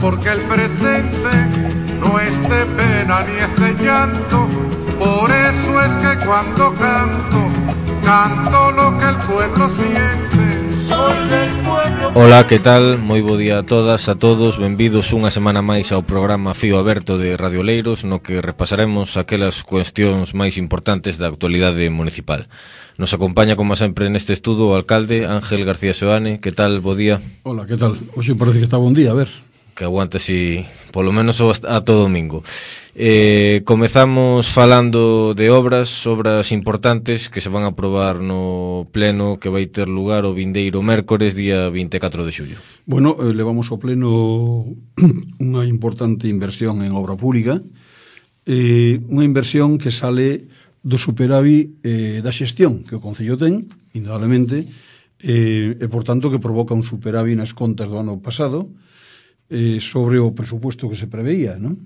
porque el presente no es de pena ni es de llanto. Por eso es que cuando canto, canto lo que el pueblo siente. Soy del pueblo. Ola, que tal? Moi bo día a todas, a todos. Benvidos unha semana máis ao programa Fío Aberto de Radio Oleiros, no que repasaremos aquelas cuestións máis importantes da actualidade municipal. Nos acompaña, como sempre, neste estudo o alcalde Ángel García Seoane. Que tal? Bo día. Hola, que tal? Hoxe parece que está bon día, a ver. Que aguante así, polo menos a todo domingo. Comezamos falando de obras importantes que se van a aprobar no pleno que vai ter lugar o vindeiro mércores, día 24 de xullo. Bueno, levamos ao pleno unha importante inversión en obra pública, unha inversión que sale do superávit da xestión que o Concello ten, indudablemente, e por tanto que provoca un superávit nas contas do ano pasado, sobre o presupuesto que se preveía, non?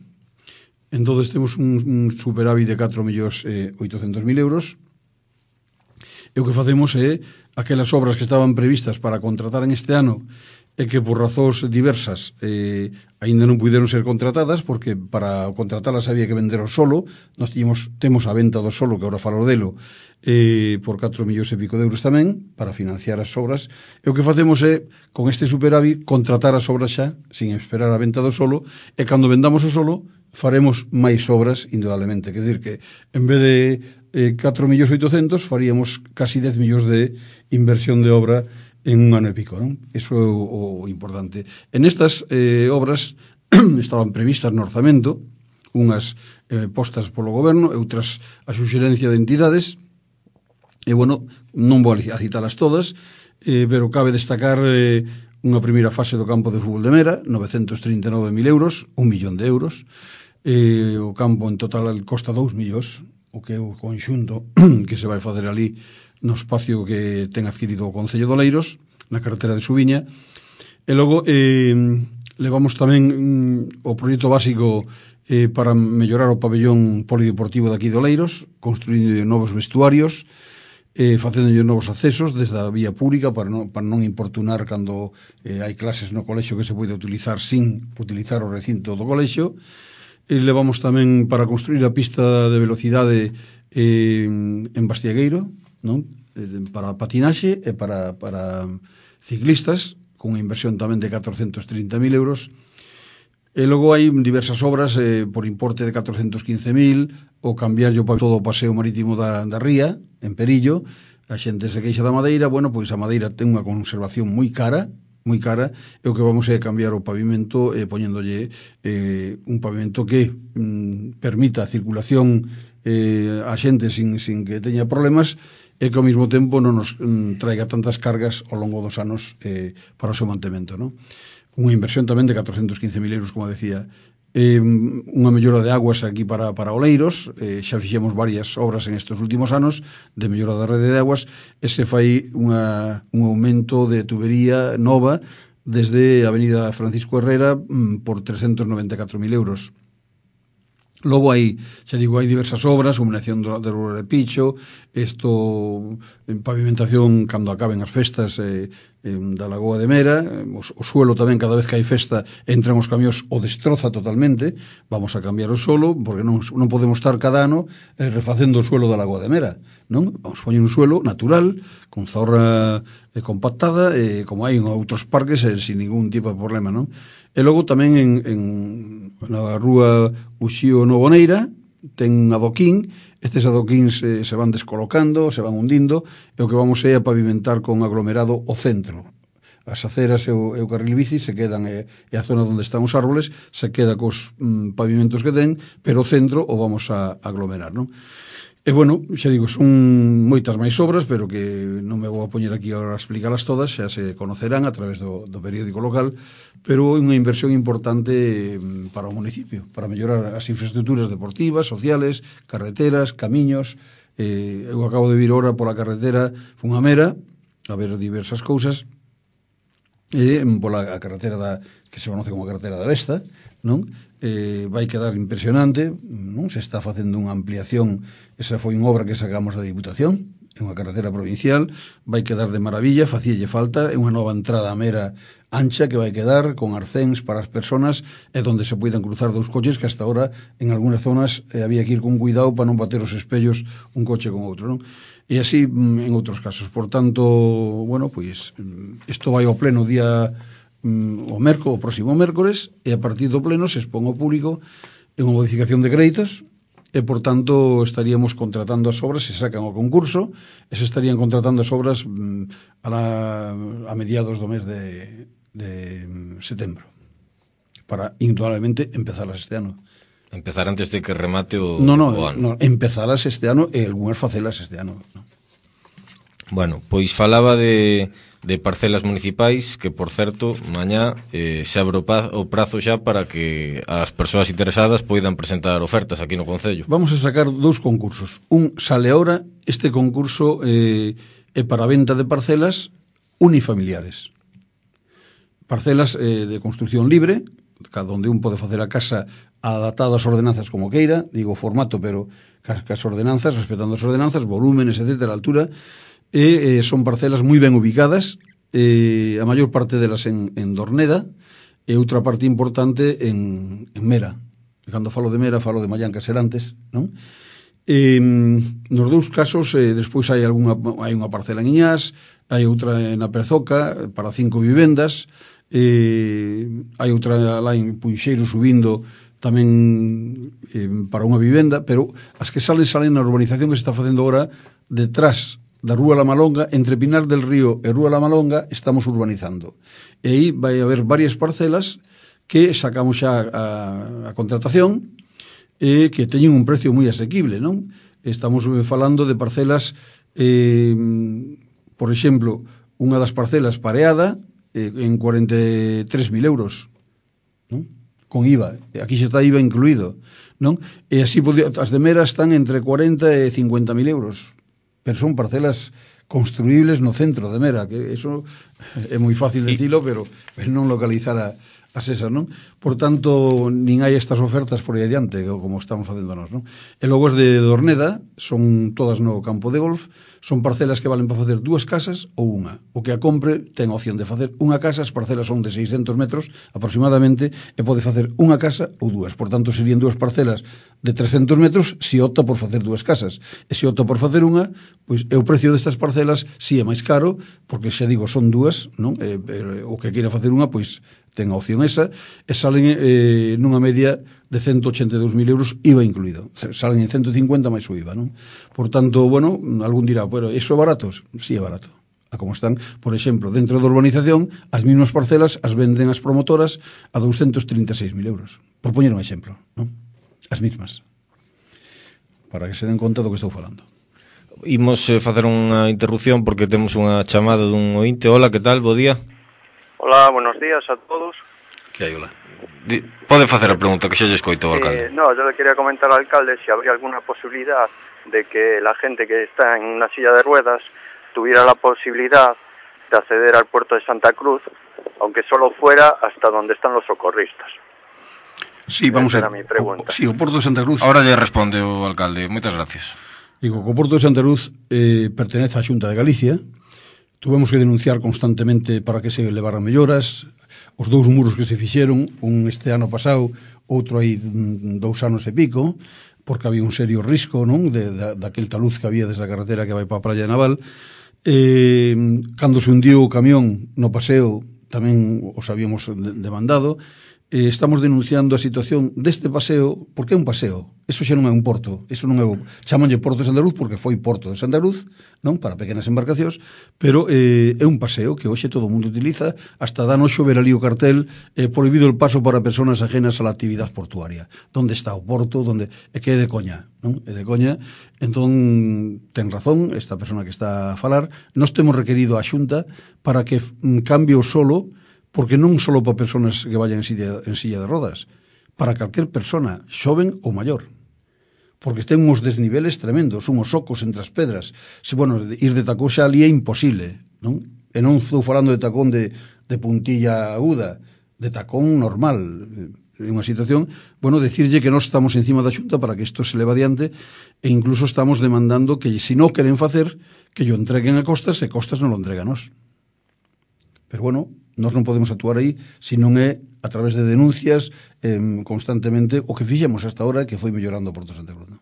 Entón temos un superávit de 4.800.000 euros, e o que facemos é aquelas obras que estaban previstas para contratar en este ano e que por razóns diversas aínda non puderon ser contratadas, porque para contratalas había que vender o solo. Nós temos a venta do solo, que agora falo delo, por 4 millóns e pico de euros tamén, para financiar as obras, e o que facemos é, con este superávit, contratar as obras xa, sin esperar a venta do solo, e cando vendamos o solo, faremos máis obras, indudablemente. Quer dizer que, en vez de 4.800.000, faríamos casi 10 millóns de inversión de obra en un ano e pico, non? Iso é o importante. En estas obras estaban previstas no orzamento, unhas postas polo goberno e outras a suxerencia de entidades, e, bueno, non vou a citalas todas, pero cabe destacar unha primeira fase do campo de fútbol de Mera, 939.000 euros, 1 millón de euros. O campo en total costa 2 millóns, o que é o conxunto que se vai facer ali no espacio que ten adquirido o Concello de Oleiros, na carretera de Subiña. E logo levamos tamén o proxecto básico para mellorar o pabellón polideportivo de aquí de Oleiros, construindo novos vestuarios, facendo novos accesos desde a vía pública para non importunar cando hai clases no colexio que se pode utilizar sin utilizar o recinto do colexio. Levamos tamén para construir a pista de velocidade en Bastiagueiro, non? Para patinaxe e para ciclistas, con unha inversión tamén de 430.000 euros. E logo hai diversas obras por importe de 415.000, o cambiar todo o paseo marítimo da ría, en Perillo. A xente se queixa da madeira. Bueno, pois a madeira ten unha conservación moi cara, e o que vamos é cambiar o pavimento, poñéndolle un pavimento que permita a circulación a xente sin que teña problemas, e que ao mesmo tempo non nos traiga tantas cargas ao longo dos anos para o seu mantemento, non? Unha inversión tamén de 415.000 euros, como decía. Unha mellora de aguas aquí para Oleiros. Xa fixemos varias obras en estes últimos anos de mellora da rede de aguas, e se fai un aumento de tubería nova desde a avenida Francisco Herrera por 394.000 euros. Logo hai diversas obras, iluminación do Rua de Picho, en pavimentación cando acaben as festas da Lagoa de Mera, o suelo tamén, cada vez que hai festa entran os camións, o destroza totalmente. Vamos a cambiar o suelo, porque non podemos estar cada ano refacendo o suelo da Lagoa de Mera, non? Vamos a poñer un suelo natural, con zorra compactada, como hai en outros parques, sin ningún tipo de problema, non? E logo tamén na rúa Uxío Novoneira ten adoquín. Estes adoquíns se van descolocando, se van hundindo, e o que vamos é a pavimentar con aglomerado o centro. As aceras e o carril bici se quedan, e a zona onde están os árboles se queda cos pavimentos que ten, pero o centro o vamos a aglomerar, non? E, bueno, xa digo, son moitas máis obras, pero que non me vou a poñer aquí agora a explicalas todas, xa se conocerán a través do periódico local, pero é unha inversión importante para o municipio, para mellorar as infraestructuras deportivas, sociales, carreteras, camiños. Eu acabo de vir ahora pola carretera, fun a Mera a ver diversas cousas, e pola carretera que se conoce como a carretera da Vesta, non? Vai quedar impresionante, non? Se está facendo unha ampliación. Esa foi unha obra que sacamos da Diputación, é unha carretera provincial, vai quedar de maravilla, facíalle falta, é unha nova entrada a Mera ancha que vai quedar con arcéns para as personas e donde se poidan cruzar dous coches que hasta ahora en algunhas zonas había que ir con cuidado para non bater os espellos un coche con outro, non? E así en outros casos. Por tanto, bueno, pois isto vai ao pleno día o próximo mércores, e a partir do pleno se expón ao público en unha modificación de créditos e, por tanto, estaríamos contratando as obras, se sacan ao concurso, e se estarían contratando as obras a mediados do mes de setembro, para indudablemente empezalas este ano. Empezar antes de que remate o ano. No, empezalas este ano e algunhas facelas este ano. No. Bueno, pois falaba de parcelas municipais, que, por certo, mañá se abre o prazo xa para que as persoas interesadas poidan presentar ofertas aquí no Concello. Vamos a sacar dous concursos. Un sale ahora, este concurso é para venta de parcelas unifamiliares. Parcelas de construcción libre, cada onde un pode facer a casa adaptado ás ordenanzas como queira, digo formato, pero cas ordenanzas, respetando as ordenanzas, volúmenes, etc., a altura, e son parcelas moi ben ubicadas, a maior parte delas en Dorneda, e outra parte importante en Mera. Cando falo de Mera, falo de Mallán Caserantes, non? Nos dous casos, despois hai unha parcela en Iñás, hai outra na Prezoca, para 5 vivendas, hai outra lá en Punxeiro subindo tamén para unha vivenda, pero as que salen na urbanización que se está facendo agora detrás da Rúa La Malonga, entre Pinar del Río e Rúa La Malonga, estamos urbanizando. E aí vai haber varias parcelas que sacamos xa a contratación e que teñen un precio moi asequible, non? Estamos falando de parcelas, por exemplo, unha das parcelas pareada en 43.000 euros, non? Con IVA, aquí xa está IVA incluído, non? E así as de Mera están entre 40 e 50.000 euros, pero son parcelas construíbles no centro de Mera, que eso é moi fácil decilo, pero non localizar as esas, non? Por tanto, nin hai estas ofertas por aí adiante, como estamos facendo nós, non? E logo as de Dorneda son todas no campo de golf, son parcelas que valen para facer 2 casas ou unha. O que a compre ten a opción de facer unha casa, as parcelas son de 600 metros aproximadamente, e pode facer unha casa ou 2. Por tanto, serían 2 parcelas de 300 metros se opta por facer 2 casas. E se opta por facer unha, pois o precio destas parcelas si é máis caro, porque xa digo, son 2, non? O que queira facer unha, pois ten a opción esa, e salen nunha media de 182.000 euros IVA incluído. Salen en 150 máis o IVA, non? Por tanto, bueno, algún dirá, pero iso é barato? Si é barato. A como están, por exemplo, dentro da urbanización, as mismas parcelas as venden as promotoras a 236.000 euros. Por poñer un exemplo, non? As mismas. Para que se den conta do que estou falando. Imos facer unha interrupción porque temos unha chamada dun ointe. Hola, que tal? Bo día. Hola, buenos días a todos. Que hai, hola? Pode facer a pregunta, que xa lle escoito ao alcalde. No, yo le quería comentar al alcalde si habría alguna posibilidad de que la gente que está en una silla de ruedas tuviera la posibilidad de acceder al puerto de Santa Cruz, aunque solo fuera hasta donde están los socorristas. Sí, vamos a ver. Mi pregunta. Sí, o Porto de Santa Cruz. Ahora lle responde o alcalde. Moitas gracias. Digo, que o Porto de Santa Cruz pertenece á Xunta de Galicia. Tuvemos que denunciar constantemente para que se levaran melloras. Os 2 muros que se fixeron, un este ano pasado, outro hai 2 anos e pico, porque había un serio risco, non, daquel taluz que había desde a carretera que vai para a Praia de Naval. Cando se hundiu o camión no paseo, tamén os habíamos demandado. Estamos denunciando a situación deste paseo, porque é un paseo, eso xa non é un porto, eso non é chamanlle Porto de Santa Cruz porque foi Porto de Santa Cruz, non, para pequenas embarcacións, pero é un paseo que hoxe todo o mundo utiliza, hasta dá noxo ver ali o cartel, prohibido el paso para personas ajenas a la actividade portuaria. Donde está o porto, donde é que é de coña, non? É de coña. Entón, ten razón esta persona que está a falar, nós temos requerido a Xunta para que cambie o solo, porque non só para persoas que vayan en silla de rodas, para calquer persona, xoven ou maior, porque ten uns desniveles tremendos, unhos ocos entre as pedras. Se, bueno, ir de tacón xa ali é imposible, non? E non estou falando de tacón de puntilla aguda, de tacón normal, unha situación, bueno, decirlle que nós estamos encima da Xunta para que isto se leva adiante e incluso estamos demandando que se non queren facer, que yo entreguen a Costas e Costas non lo entrega a nós. Pero bueno, nós non podemos actuar aí se non é a través de denuncias constantemente o que fixemos hasta ahora que foi mellorando o Porto de Santa Cruz.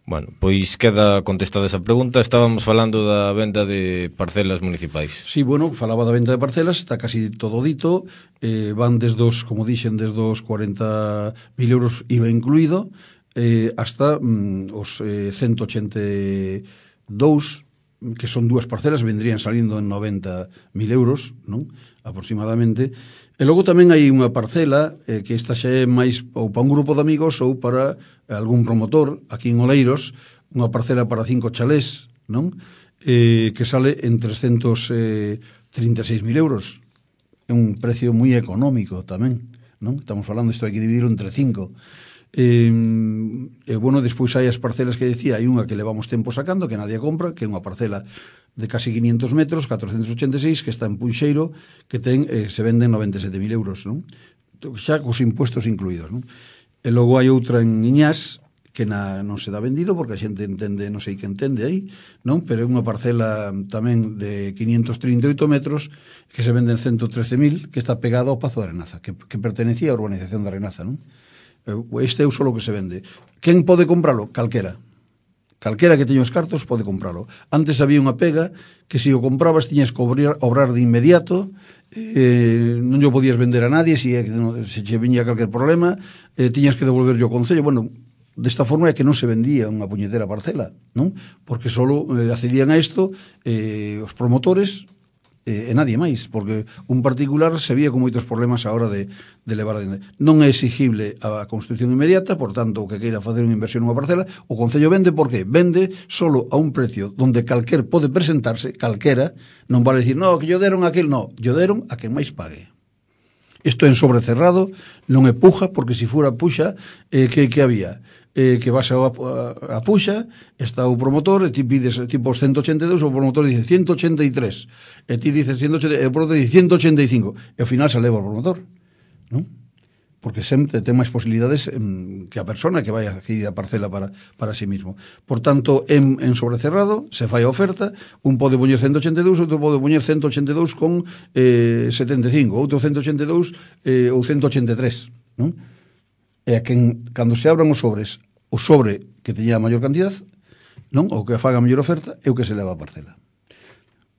Bueno, pois queda contestada esa pregunta. Estábamos falando da venda de parcelas municipais. Sí, bueno, falaba da venda de parcelas, está casi todo dito, van desde os, como dixen, desde os 40.000 euros IVA incluído, hasta os 182, que son dúas parcelas, vendrían salindo en 90.000 euros, non? Aproximadamente. E logo tamén hai unha parcela que esta xa é máis ou para un grupo de amigos ou para algún promotor aquí en Oleiros, unha parcela para 5 chalés, non? Que sale en 336.000 euros. É un precio moi económico tamén, non? Estamos falando, isto hai que dividirlo entre 5. Bueno, despois hai as parcelas que decía, hai unha que levamos tempo sacando, que nadie compra, que é unha parcela de casi 500 metros, 486, que está en Punxeiro, que se venden 97.000 euros, non? Xa cos impuestos incluídos, non? E logo hai outra en Iñás, que non se dá vendido, porque a xente entende, non sei que entende aí, non? Pero é unha parcela tamén de 538 metros, que se venden 113.000, que está pegada ao Pazo de Arenaza, que pertenecía á urbanización de Arenaza, non? Este é o solo que se vende. Quen pode compralo? Calquera que teña os cartos pode compralo. Antes había unha pega que se o comprabas tiñas que obrar de inmediato, non o podías vender a nadie se che viña calquer problema, tiñas que devolver ao Concello. Bueno, desta forma é que non se vendía unha puñetera parcela, non? Porque solo accedían a isto os promotores e nadie máis, porque un particular se vía con moitos problemas a hora de levar adiante. Non é exigible a construcción inmediata, por tanto, o que queira facer unha inversión nunha parcela, o Concello vende, por que? Vende solo a un precio donde calquer pode presentarse, calquera, non vale dicir, no, que yo deron aquel, no, yo deron a quen máis pague. Isto en sobrecerrado, non é puja, porque se fora puxa, que había? Que vas a puxa, está o promotor, e ti pides tipo 182, o promotor dice 183, e ti dices 180, e o promotor dice 185, e ao final se leva o promotor, non? Porque sempre ten máis posibilidades que a persona que vai a adquirir a parcela para sí mismo. Por tanto, en sobrecerrado, se fai a oferta, un pode poñer 182, outro pode poñer 182 con 75, outro 182 ou 183, non? E a cando se abran os sobres, o sobre que teña a maior cantidad, non? O que faga a mellor oferta é o que se leva a parcela.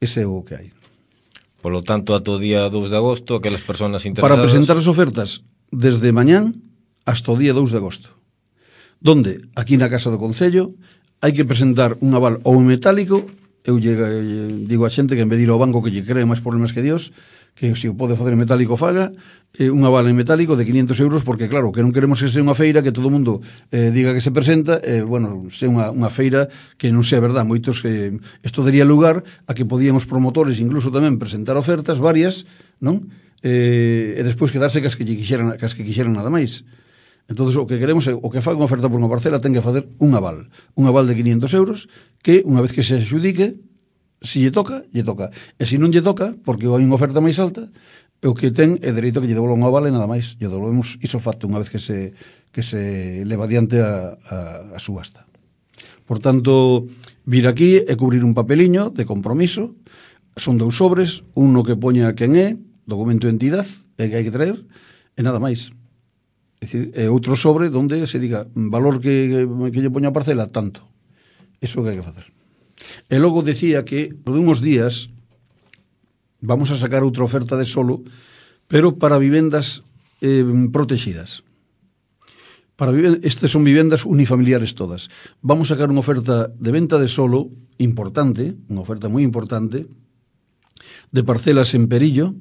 Ese é o que hai. Polo tanto, ata o día 2 de agosto, aquelas persoas interesadas... Para presentar as ofertas desde mañán hasta o día 2 de agosto, donde, aquí na Casa do Concello, hai que presentar un aval ou en metálico. Eu digo a xente que en vez de ir ao banco que lle cree máis problemas que Dios, que se o pode facer en metálico faga, un aval en metálico de 500 euros, porque claro, que non queremos que sea unha feira que todo o mundo diga que se presenta, bueno, sea unha feira que non sea verdad. Moitos que isto daría lugar a que podíamos promotores incluso tamén presentar ofertas varias, non? E despois quedarse cas que quixeran nada máis. Entonces o que queremos é o que faga unha oferta por unha parcela ten que facer un aval de 500 euros, que unha vez que se adxudique, se lle toca, lle toca. E se non lle toca, porque hai unha oferta máis alta, o que ten é dereito que lle devolva un aval e nada máis. Lle devolvemos iso facto unha vez que se leva adiante a subasta. Por tanto, vir aquí e cubrir un papeliño de compromiso. Son 2 sobres, un no que poña quen é, documento de entidade, que hai que traer, e nada máis. É dicir, é outro sobre donde se diga valor que lle poña a parcela, tanto. Iso que hai que facer. E logo decía que, por unhos días, vamos a sacar outra oferta de solo, pero para vivendas protegidas. Estas son vivendas unifamiliares todas. Vamos a sacar unha oferta de venta de solo importante, unha oferta moi importante, de parcelas en Perillo,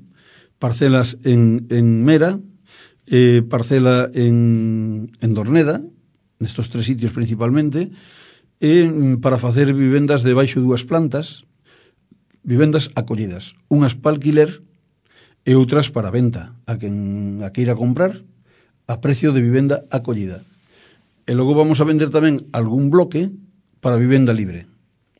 parcelas en Mera, parcela en Dorneda, nestos 3 sitios principalmente, para facer vivendas de baixo 2 plantas, vivendas acollidas, unhas para alquiler e outras para venta, a quen queira comprar a precio de vivenda acollida. E logo vamos a vender tamén algún bloque para vivenda libre.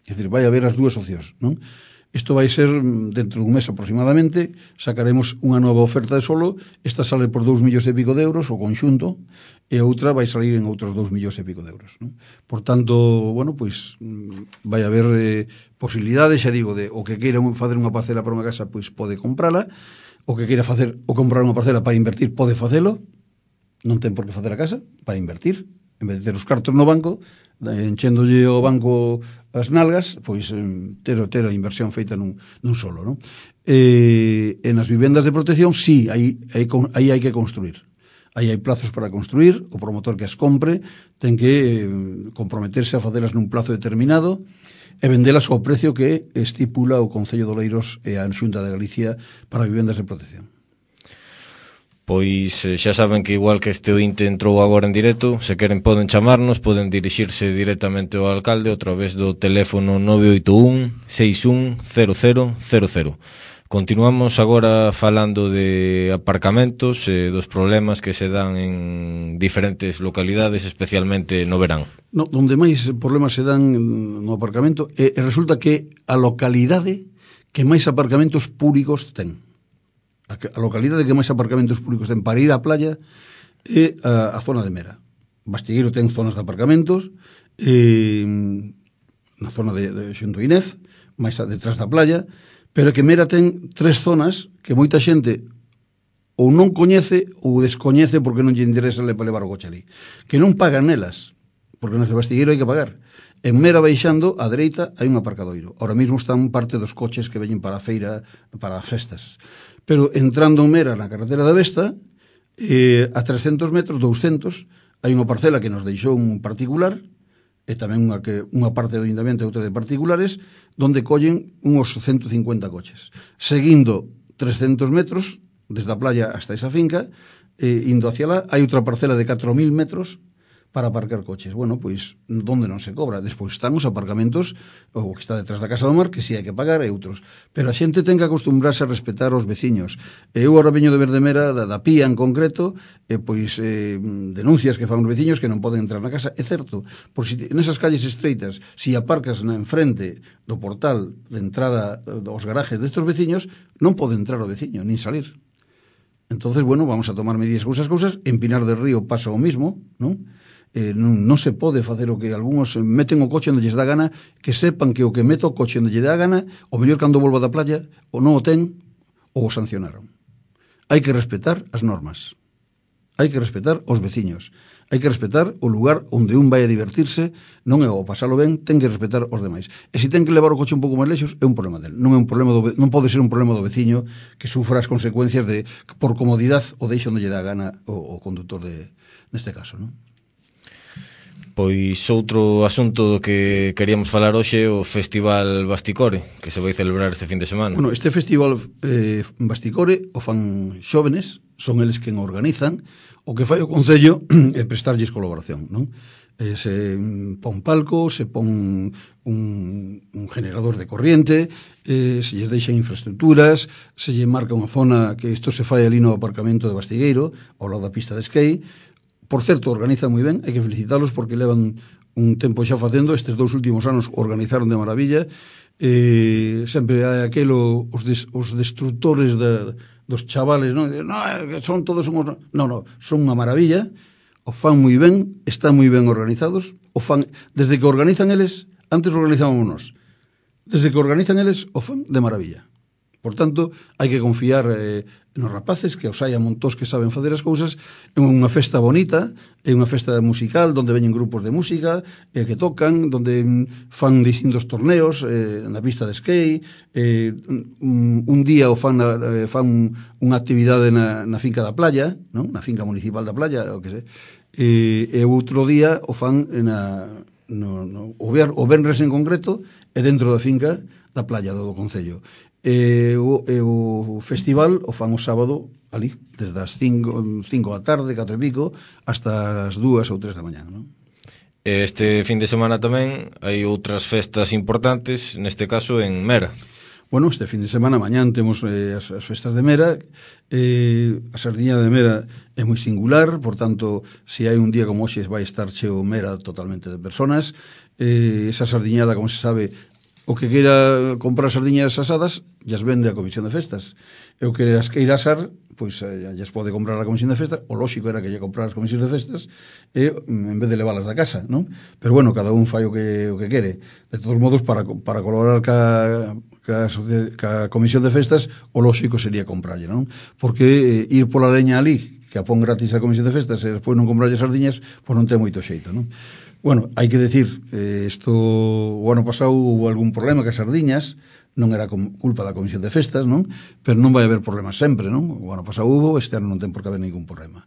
É dicir, vai haber as 2 opcións, non? Isto vai ser dentro dun mes aproximadamente, sacaremos unha nova oferta de solo, esta sale por 2 millóns e pico de euros, o conxunto, e a outra vai salir en outros 2 millóns e pico de euros, non? Por tanto, bueno, pois vai haber posibilidades, xa digo, de o que queira facer unha parcela para unha casa, pois pode comprala, o que queira facer ou comprar unha parcela para invertir, pode facelo, non ten por que facer a casa, para invertir, en vez de ter os cartos no banco, enchéndolle o banco as nalgas, pois ter a inversión feita nun solo, non? E nas vivendas de protección, sí, aí hai que construir. Aí hai plazos para construir, o promotor que as compre ten que comprometerse a facelas nun plazo determinado e vendelas ao precio que estipula o Concello de Oleiros e a Xunta de Galicia para vivendas de protección. Pois xa saben que igual que este ointe entrou agora en directo, se queren poden chamarnos, poden dirixirse directamente ao alcalde a través do teléfono 981 610000. Continuamos agora falando de aparcamentos e dos problemas que se dan en diferentes localidades, especialmente no verán. No, onde máis problemas se dan no aparcamento, resulta que a localidade que máis aparcamentos públicos ten. A localidade que máis aparcamentos públicos ten para ir á playa é a zona de Mera. Bastigueiro ten zonas de aparcamentos, na zona de xunto Inés, máis detrás da playa, pero que Mera ten 3 zonas que moita xente ou non coñece ou descoñece porque non lle interesa para levar o coche ali. Que non pagan nelas, porque nas de Bastigueiro hai que pagar. En Mera baixando, á dereita, hai un aparcadoiro. Ahora mesmo están parte dos coches que veñen para a feira, para as festas. Pero entrando en Mera, na carretera da Vesta, a 300 metros, 200, hai unha parcela que nos deixou un particular, e tamén unha parte do ayuntamiento e outra de particulares, donde collen uns 150 coches. Seguindo 300 metros, desde a playa hasta esa finca, indo hacia lá, hai outra parcela de 4.000 metros, para aparcar coches. Bueno, pois, donde non se cobra. Despois están os aparcamentos, o que está detrás da Casa do Mar, que si hai que pagar, e outros. Pero a xente ten que acostumbrarse a respetar os veciños. Eu agora veño de Verdemera, da Pía en concreto, pois denuncias que fan os veciños que non poden entrar na casa. É certo, por si nesas calles estreitas, si aparcas na enfrente do portal de entrada dos garajes destes veciños, non pode entrar o veciño, nin salir. Entonces, bueno, vamos a tomar medidas con esas cousas. En Pinar del Río pasa o mismo, non? Non se pode facer o que algúns meten o coche onde lles dá gana, que sepan que o que mete o coche onde lle dá gana, o mellor cando volva da playa, ou non o ten, ou o sancionaron. Hai que respetar as normas. Hai que respetar os veciños. Hai que respetar o lugar onde un vai a divertirse, non é o pasalo ben, ten que respetar os demais. E se ten que levar o coche un pouco máis lexos, é un problema del. Non é un problema non pode ser un problema do veciño que sufra as consecuencias de por comodidad o deixa onde lle dá gana o conductor neste caso, non? Pois outro asunto do que queríamos falar hoxe é o Festival Basticore, que se vai celebrar este fin de semana. Bueno, este Festival Basticore o fan xóvenes, son eles quen organizan, o que fai o Concello é prestarlles colaboración, non? Se pon palco, se pon un generador de corriente, se lle deixan infraestructuras, se lle marca unha zona que isto se fai ali no aparcamento de Bastigueiro, ao lado da pista de skate. Por certo, organizan moi ben, hai que felicitalos porque levan un tempo xa facendo, estes 2 últimos anos organizaron de maravilla, sempre hai aquelo, os destructores dos chavales, non, son todos unhos... Non, son unha maravilla, o fan moi ben, están moi ben organizados, o fan, desde que organizan eles, antes organizámonos, desde que organizan eles, o fan de maravilla. Por tanto, hai que confiar nos rapaces, que os hai a montós que saben facer as cousas. É unha festa bonita, é unha festa musical onde veñen grupos de música que tocan, onde fan distintos torneos na pista de skate, un día o fan unha actividade na finca da playa, non? Na finca municipal da playa, o que sei, e outro día o fan o venres en concreto e dentro da finca da playa do Concello. O festival o fan o sábado ali, desde as 5 da tarde, 4 e pico, hasta as 2 ou 3 da mañá, non? Este fin de semana tamén hai outras festas importantes, neste caso en Mera. Bueno, este fin de semana, mañán, temos as festas de Mera. A Sardiña de Mera é moi singular, por tanto, se hai un día como hoxe vai estar cheo Mera totalmente de personas. Esa sardiñada, como se sabe, o que queira comprar sardiñas asadas llas vende a Comisión de Festas, e o que as queira asar pois llas pode comprar a Comisión de Festas. O lóxico era que lle comprar as Comisións de Festas e en vez de leválas da casa, non? Pero bueno, cada un fai o que quere. De todos modos, para colaborar ca Comisión de Festas, o lóxico sería comprarlle, non? Porque ir pola leña ali, que a pon gratis a Comisión de Festas, e despois non comprarlle sardiñas, pois non ten moito xeito, non? Bueno, hai que decir, isto o ano pasado hubo algún problema que as sardiñas, non era culpa da Comisión de Festas, non? Pero non vai haber problemas sempre, non? O ano pasado hubo, este ano non ten por que haber ningún problema.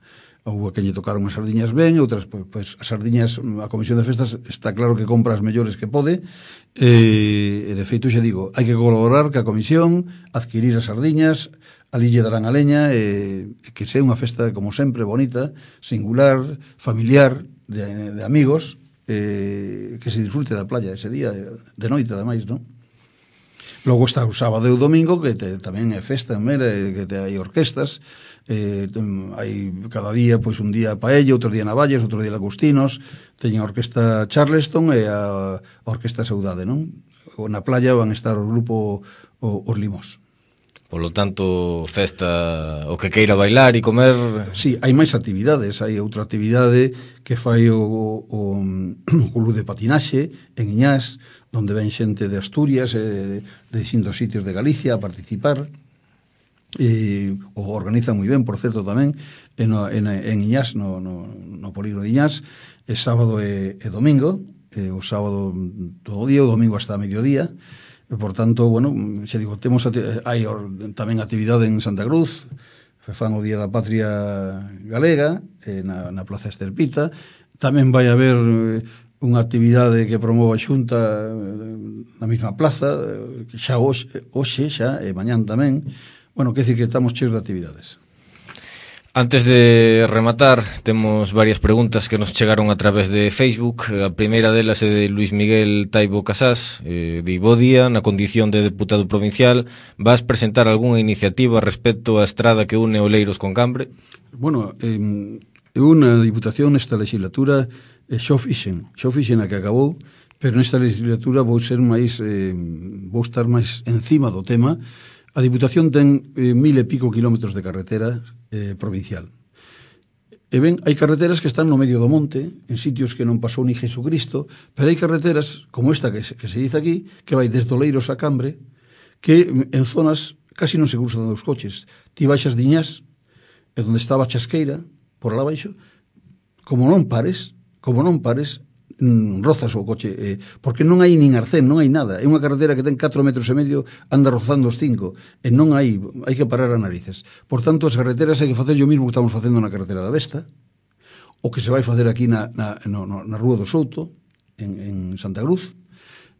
Houve a quen lle tocaron as sardiñas ben, outras, pois as sardiñas, a Comisión de Festas está claro que compra as mellores que pode, e de feito, xa digo, hai que colaborar ca Comisión, adquirir as sardiñas, ali lle darán a leña, e que sea unha festa, como sempre, bonita, singular, familiar, de amigos, que se disfrute da playa ese día, de noite, ademais, non? Logo está o sábado e o domingo, que tamén é festa en Mera, que hai orquestas, hai cada día, pois un día Paella, outro día Navalles, outro día Lagostinos, teñen a orquesta Charleston e a orquesta Saudade, non? Na playa van estar o grupo Os Limos. Polo tanto, festa o que queira bailar e comer. Sí, hai máis actividades. Hai outra actividade que fai o club de patinaxe en Iñás, onde ven xente de Asturias e de distintos sitios de Galicia a participar. O organiza moi ben, por certo, tamén en Iñás, no polígono de Iñás, é sábado e domingo, o sábado todo o día, o domingo hasta mediodía. E, por tanto, bueno, xa digo, hai tamén actividade en Santa Cruz, fan o Día da Patria Galega, na Plaza Esterpita. Tamén vai haber unha actividade que promova a Xunta na mesma plaza, que xa hoxe xa, e mañán tamén. Bueno, quer dicir que estamos cheios de actividades. Antes de rematar, temos varias preguntas que nos chegaron a través de Facebook. A primeira delas é de Luis Miguel Taibo Casás. Di: bo día, na condición de deputado provincial, vas presentar algunha iniciativa respecto á estrada que une Oleiros con Cambre? Bueno, eu na Diputación nesta legislatura xo fixen a que acabou, pero nesta legislatura vou estar máis encima do tema. A Diputación ten 1000 e pico kilómetros de carretera provincial. E ben, hai carreteras que están no medio do monte, en sitios que non pasou ni Jesucristo, pero hai carreteras, como esta que se dice aquí, que vai desde Oleiros a Cambre, que en zonas casi non se cruzan dos coches. Ti baixas de Iñás, e onde estaba a Chasqueira, por lá baixo, como non pares, rozas o coche, porque non hai nin arcén, non hai nada. É unha carretera que ten 4,5 metros, anda rozando os 5, e non hai que parar a narices. Por tanto, as carreteras hai que facer o mismo que estamos facendo na carretera da Vesta, o que se vai facer aquí na Rúa do Souto, en Santa Cruz.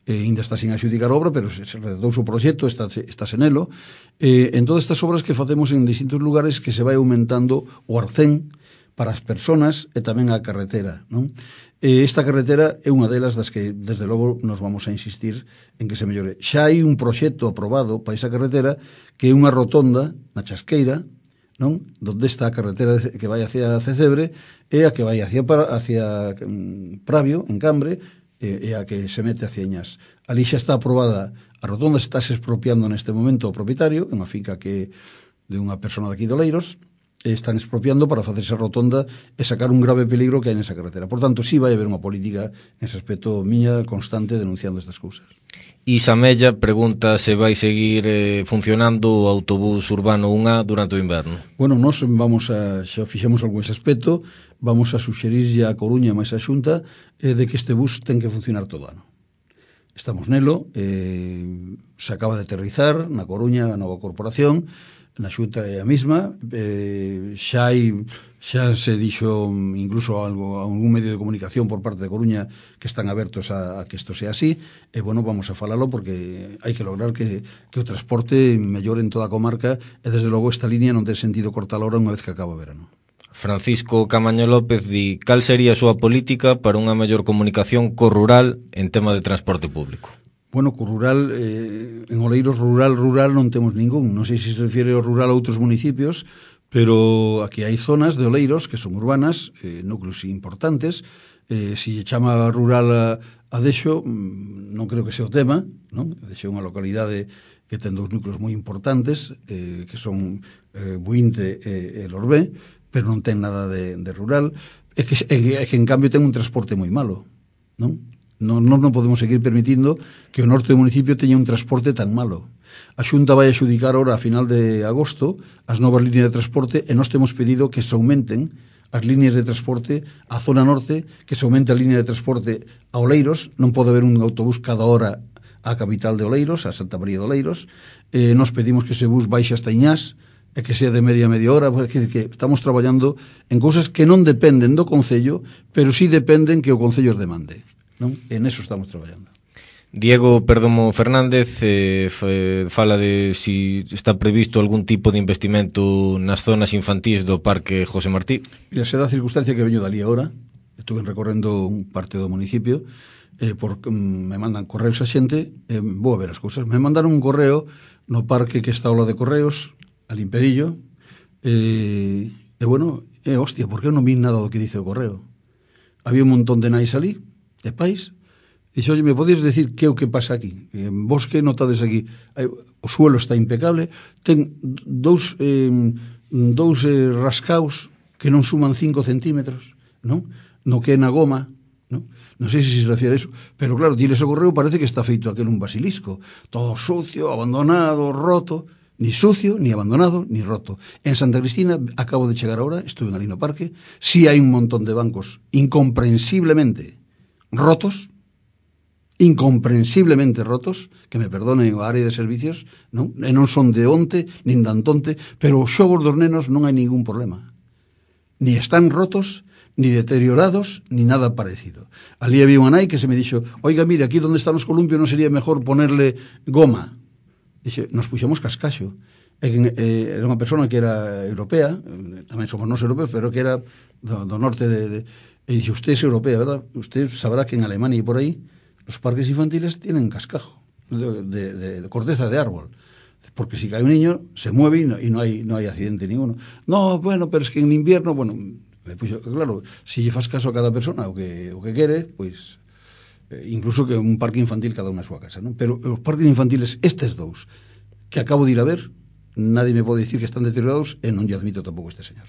Ainda está sin axudicar obra, pero se redou o proxecto, está senelo. En todas estas obras que facemos en distintos lugares, que se vai aumentando o arcén para as persoas e tamén a carretera, non? Esta carretera é unha delas das que, desde logo, nos vamos a insistir en que se mellore. Xa hai un proxecto aprobado para esa carretera, que é unha rotonda na Chasqueira, non? Donde está a carretera que vai hacia Cecebre e a que vai hacia Pravio, en Cambre, e a que se mete hacia Iñás. Ali xa está aprobada a rotonda, está se expropiando neste momento o propietario, unha finca que de unha persona de aquí de Oleiros, están expropiando para facer esa rotonda e sacar un grave peligro que hai nesa carretera. Por tanto, sí vai haber unha política nese aspecto miña constante denunciando estas cousas. Isa Mella pregunta se vai seguir funcionando o autobús urbano 1A durante o inverno. Bueno, nós xa fixemos algo ese aspecto, vamos a suxerirlle a Coruña máis a Xunta de que este bus ten que funcionar todo ano. Estamos nelo, se acaba de aterrizar na Coruña a nova corporación, na Xunta é a mesma, xa se dixo incluso algún medio de comunicación por parte de Coruña que están abertos a que isto sea así, e bueno, vamos a falalo porque hai que lograr que o transporte mellore en toda a comarca, e desde logo esta línea non ten sentido cortar ahora unha vez que acaba o verano. Francisco Camaño López di: cal sería a súa política para unha mellor comunicación co rural en tema de transporte público? Bueno, co rural, en Oleiros rural non temos ningún. Non sei se refiere ao rural a outros municipios, pero aquí hai zonas de Oleiros que son urbanas, núcleos importantes. Se chama rural Adexo non creo que sea o tema, non? Adexo é unha localidade que ten dous núcleos moi importantes, que son Buinte e Lorbé, pero non ten nada de rural, é que en cambio ten un transporte moi malo, non? Non podemos seguir permitindo que o norte do municipio teña un transporte tan malo. A Xunta vai axudicar ahora a final de agosto as novas líneas de transporte e nós temos pedido que se aumenten as líneas de transporte á zona norte, que se aumente a línea de transporte a Oleiros. Non pode haber un autobús cada hora á capital de Oleiros, a Santa María de Oleiros. Nos pedimos que ese bus baixe hasta Iñás e que sea de media hora, porque que estamos traballando en cousas que non dependen do Concello, pero sí dependen que o Concello os demande, non? En eso estamos traballando. Diego Perdomo Fernández fala de si está previsto algún tipo de investimento nas zonas infantís do Parque José Martí. Mira, se dá a circunstancia que veño dali ahora, estuve recorrendo un parte do municipio, porque me mandan correos a xente, vou a ver as cousas. Me mandaron un correo no parque que está ao lado de Correos, al Imperillo, bueno, hostia, por que non vi nada do que dice o correo? Había un montón de nais ali, de pais. Dixe, oye, me podías decir que é o que pasa aquí? Vos que notades aquí? O suelo está impecable, ten dous rascaos que non suman 5 centímetros, non? No que é na goma, non? Non sei se se refiere a eso, pero claro, diles o correo, parece que está feito aquel un basilisco, todo sucio, abandonado, roto, ni sucio, ni abandonado, ni roto. En Santa Cristina, acabo de chegar ahora, estuve en Alino Parque, sí hai un montón de bancos incomprensiblemente rotos, que me perdonen o área de servicios, non? E non son de onte, nin de antonte, pero os xogos dos nenos non hai ningún problema. Ni están rotos, ni deteriorados, ni nada parecido. Ali había unha nai que se me dixo, oiga, mira, aquí donde están os columpios non sería mejor ponerle goma. Dixe, nos puxemos cascaxo. Era unha persona que era europea, tamén somos nós europeos, pero que era do norte e dixe, usted es europea, ¿verdad? Usted sabrá que en Alemania e por aí los parques infantiles tienen cascajo de corteza de árbol, porque si cae un niño se mueve y no hay accidente ninguno. No, bueno, pero es que en invierno, bueno, me puxo, claro, si lle fas caso a cada persona o que quere, pois incluso que un parque infantil cada unha a súa casa, non? Pero os parques infantiles, estes dous que acabo de ir a ver, nadie me pode dicir que están deteriorados e non lle admito tampouco este señor.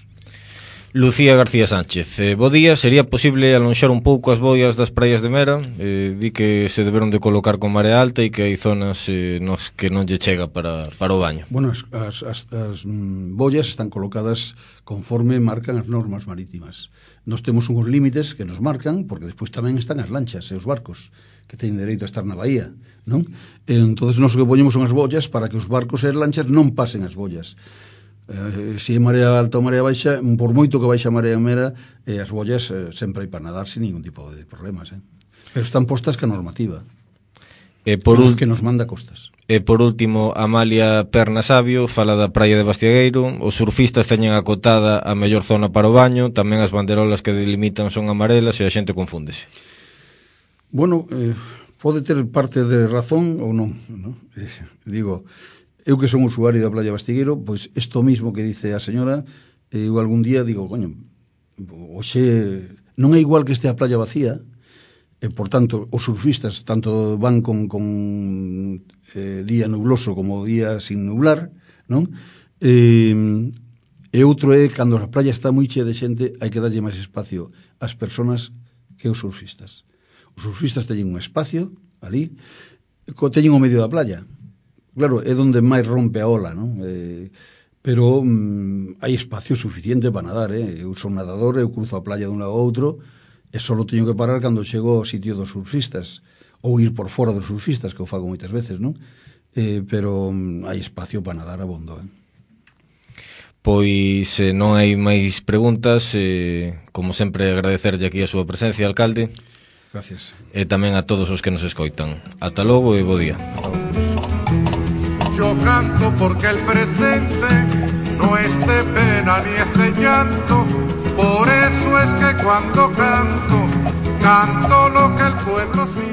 Lucía García Sánchez, bo día, sería posible alonxar un pouco as boias das praias de Mera? Di que se deberon de colocar con marea alta e que hai zonas nos que non lle chega para o baño. Bueno, as boias están colocadas conforme marcan as normas marítimas. Nos temos uns límites que nos marcan, porque despois tamén están as lanchas e os barcos que teñen dereito a estar na bahía, non? Entonces nos o que poñemos son as boias para que os barcos e as lanchas non pasen as boias. Se é marea alta ou marea baixa, por moito que baixa a marea Mera, as boias sempre hai para nadar sin ningún tipo de problemas, pero están postas que a normativa que nos manda costas. E por último, Amalia Perna Sabio fala da praia de Bastiagueiro. Os surfistas teñen acotada a mellor zona para o baño, tamén as banderolas que delimitan son amarelas e a xente confúndese. Bueno, pode ter parte de razón ou non, ¿no? Digo, eu que son usuario da playa Bastigueiro, pois isto mismo que dice a señora, eu algún día digo, coño, oxe, non é igual que este a playa vacía, e por tanto os surfistas tanto van con día nubloso como día sin nublar, non? E outro é cando a playa está moi chea de xente, hai que darlle máis espacio ás persoas que os surfistas. Os surfistas teñen un espacio ali, teñen o medio da playa. Claro, é onde máis rompe a ola, non? Pero hai espacio suficiente para nadar, Eu son nadador, eu cruzo a playa dun lado a outro e só teño que parar cando chego ao sitio dos surfistas ou ir por fora dos surfistas, que eu fago moitas veces, non? Pero hai espacio para nadar abondo, Pois non hai máis preguntas, como sempre agradecerlle aquí a súa presencia, alcalde. Gracias. E tamén a todos os que nos escoitan. Ata logo e bo día. Yo canto porque el presente no es de pena ni es de llanto, por eso es que cuando canto, canto lo que el pueblo siente.